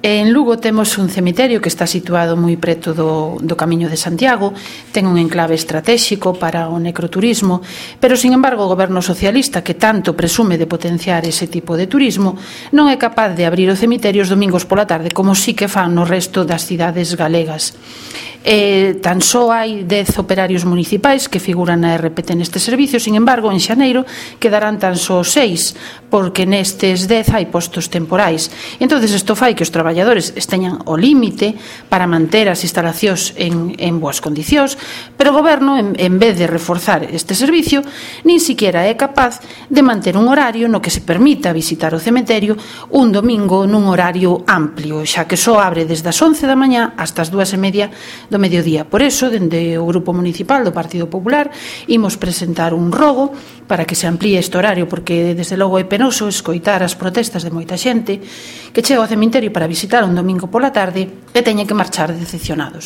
En Lugo temos un cemiterio que está situado moi preto do Camiño de Santiago, ten un enclave estratégico para o necroturismo, pero, sin embargo, o goberno socialista, que tanto presume de potenciar ese tipo de turismo, non é capaz de abrir o cemiterio os domingos pola tarde, como sí que fan no resto das cidades galegas. Tan só hai 10 operarios municipais que figuran na RPT neste servicio, sin embargo, en xaneiro quedarán tan só 6, porque nestes 10 hai postos temporais. Entonces, isto fai que os traballadores esteñan ao límite para manter as instalacións en boas condicións, pero o goberno, en vez de reforzar este servicio, nin siquiera é capaz de manter un horario no que se permita visitar o cementerio un domingo nun horario amplio, xa que só abre desde as 11 da mañá hasta as 2:30 do mediodía. Por eso, dende o Grupo Municipal do Partido Popular, imos presentar un rogo para que se amplíe este horario, porque desde logo é penoso escoitar as protestas de moita xente que chega ao cemiterio para visitar un domingo pola tarde e teñen que marchar decepcionados.